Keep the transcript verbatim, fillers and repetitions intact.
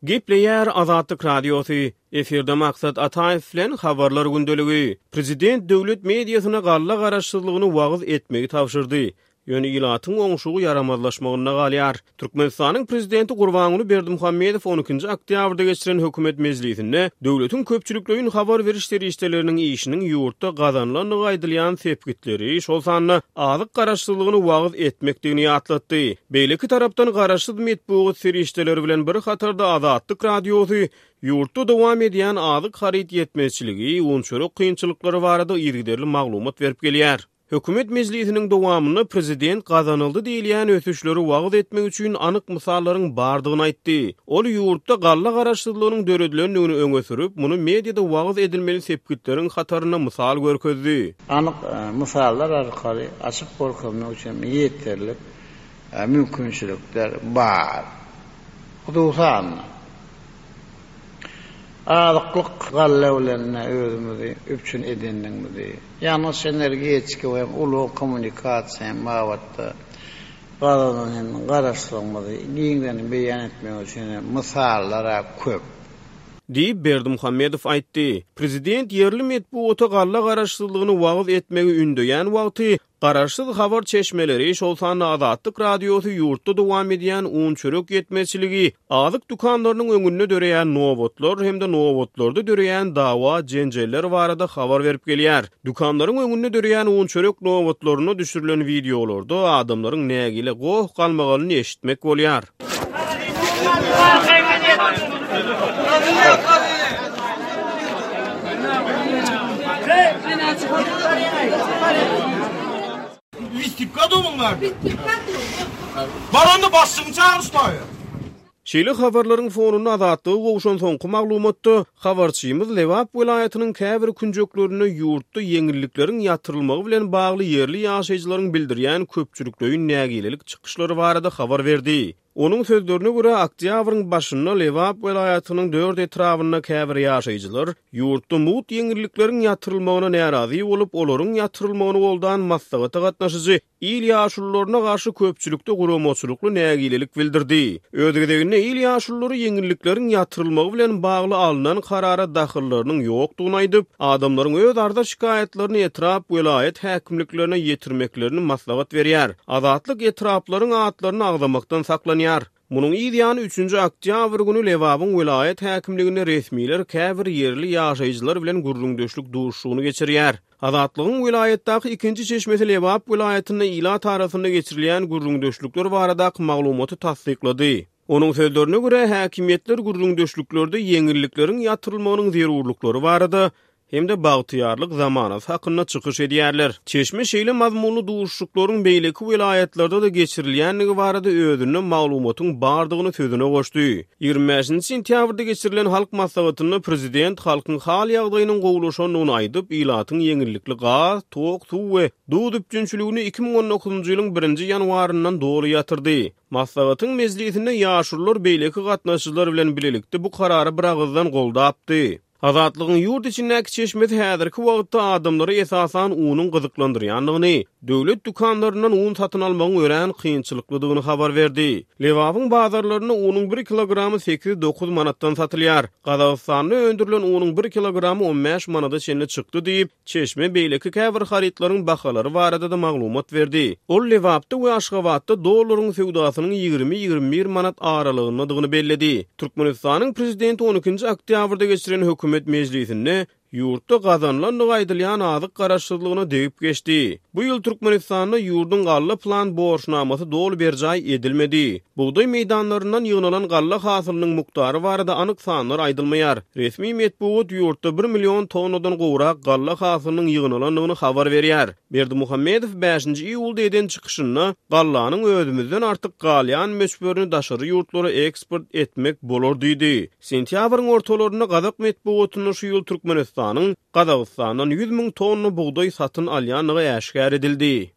Gepleýär Azatlyk Radiosy, efirde Maksat Ataýew bilen Habarlar gündeligi. Prezident döwlet mediasyna galla garaşsyzlygyny wagyz etmegi tabşyrdy. Ýöne ilatyň oňşugy ýaramazlaşmagynda galýar. Türkmenistanyň prezidenti Gurbanguly Berdimuhamedow on ikinji oktýabrda geçiren hökümet mejlisinde döwletiň köpçülikleýin habar beriş serişdeleriniň işiniň ýurtda gazanylandygy aýdylýan sepgitleri, şol sanda azyk garaşsyzlygyny wagyz etmekdigini ýatlatdy. Beýleki tarapdan garaşsyz metbugat serişdeleri bilen bir hatarda Azatlyk Radiosy ýurtda dowam edýän azyk haryt ýetmezçiligi, un-çörek kynçylyklary barada yzygiderli maglumat berip gelýär. Hökümet mejlisiniň dowamynda prezident gazanyldy diýilýän ösüşleri wagyz etmek üçin anyk mysallaryň bardygyny aýtdy. Ol ýurtda galla garaşsyzlygynyň döredilendigini öňe sürüp, muny mediada wagyz edilmeli sepgitleriň hatarynda mysal görkezdi. Anyk mysallar arkaly açyp görkezmek üçin ýeterlik mümkinçilikler bar. Hususan-da, azyklyk galla bilen özümizi üpjün edendigimizi, ýangyç-energetika we ulag-kommunikasiýa babatda gazanan hem garaşsygymyzy giňden beýan etmek üçin mysallar köp. Diýip, Berdimuhamedow aýtdy. Prezident ýerli metbugata galla garaşsyzlygyny wagyz etmegi ündeýän wagty, garaşsyz habar çeşmeleri, şol sanda Azatlyk Radiosy ýurtda dowam edýän un-çörek ýetmezçiligi, azyk dükanlarynyň öňünde döreýän nobatlar hem-de nobatlarda döreýän dawa-jenjeller barada habar berip gelýär. Dükanlaryň öňünde döreýän un-çörek nobatlarynda düşürilen wideolarda adamlaryň nägile goh-galmagalyny eşitmek bolýar. Şeýle habarlaryň fonunda Azatlyga gowşan soňky maglumatda, habarçymyz Lebap welaýatynyň käbir künjeklerinde ýurtda ýeňillikleriň ýatyrylmagy bilen bagly ýerli ýaşaýjylaryň bildirýän köpçülikleýin nägilelik çykyşlary barada habar berdi. Onuň sözlerine görä, oktýabryň başynda Lebap welaýatynyň dört etrabynda käbir ýaşaýjylar ýurtda mugt ýeňillikleriň ýatyrylmagyna närazy bolup, olaryň ýatyrylmagyny goldan maslahata gatnaşyjy il ýaşulularyna garşy köpçülikde guramaçylykly nägilelik bildirdi. Öz gezeginde il ýaşululary ýeňillikleriň ýatyrylmagy bilen bagly alnan karara dahyllarynyň ýokdugyny aýdyp, adamlaryň öz arza şikaýatlaryny etrap welaýat häkimliklerine ýetirmeklerini maslahat berýär. Azatlyk etraplaryň atlaryny agzamakdan saklanýar. Munuň yz ýany üçünji oktýabr güni Lebabyň welaýat häkimliginde resmiler käbir ýerli ýaşaýjylar bilen gürrüňdeşlik duşuşygyny geçirýär. Azatlygyň welaýatdaky ikinji çeşmesi Lebap welaýatynda ilat arasynda geçirilýän gürrüňdeşlikler baradaky maglumaty tassyklady. Onuň sözlerine görä, häkimiýetler gürrüňdeşliklerde ýeňillikleriň ýatyrylmagynyň zerurlyklary barada hem-de bagtyýarlyk zamanasy hakynda çykyş edýärler. Çeşme şeýle mazmunly duşuşyklaryň beýleki welaýatlarda-da geçirilýändigi barada özünde maglumatyň bardygyny sözüne goşdy. Ýigrimi bäşinji sentýabrda geçirilen halk maslahatynda prezident halkyň hal ýagdaýynyň gowulaşandygyny aýdyp, ilatyň ýeňillikli gaz, tok, suw we duz üpjünçiligini iki müň on dokuzynjy ýylyň birinji ýanwaryndan doly ýatyrdy. Maslahatyň mejlisinde ýaşulular beýleki gatnaşyjylar bilen bilelikde bu karary biragyzdan goldapdy. Azatlygyň ýurt içindäki çeşmesi häzirki wagtda adamlary esasan unuň gyzyklandyrýandygyny, döwlet dükanlaryndan un satyn almagyň örän kynçylyklydygyny habar berdi. Lebabyň bazarlarynda unuň bir kilogramy sekiz-dokuz manatdan satylýar. Gazagystanda öndürilen unuň bir kilogramy on bäş manada çenli çykdy diýip, çeşme beýleki käbir harytlaryň bahalary barada-da maglumat berdi. Ol Lebapda we Aşgabatda dollaryň söwdasynyň ýigrimi-ýigrimi bir manat aralygyndadygyny belledi. Türkmenistanyň prezidenti on ikinji oktýabrda geçiren hökümet mejlisinde ýurtda gazanylandygy aýdylýan azyk garaşsyzlygyna degip geçdi. Bu ýyl Türkmenistanda ýurduň galla plan borçnamasy doly berjaý edilmedi. Bugdaý meýdanlaryndan ýygnalan galla hasylynyň mukdary barada anyk sanlar aýdylmaýar. Resmi metbugat ýurtda bir million tonnadan gowrak galla hasylynyň ýygnalandygyny habar berýär. Berdimuhamedow bäşinji iýulda eden çykyşynda gallanyň özümizden artyk galýan möçberini daşary ýurtlara eksport etmek bolar diýdi. Sentýabryň ortalarynda gazak metbugatynda şu ýyl Türkmenistanyň Gazagystandan ýüz müň tonna bugdaý satyn alýandygy äşgär edildi.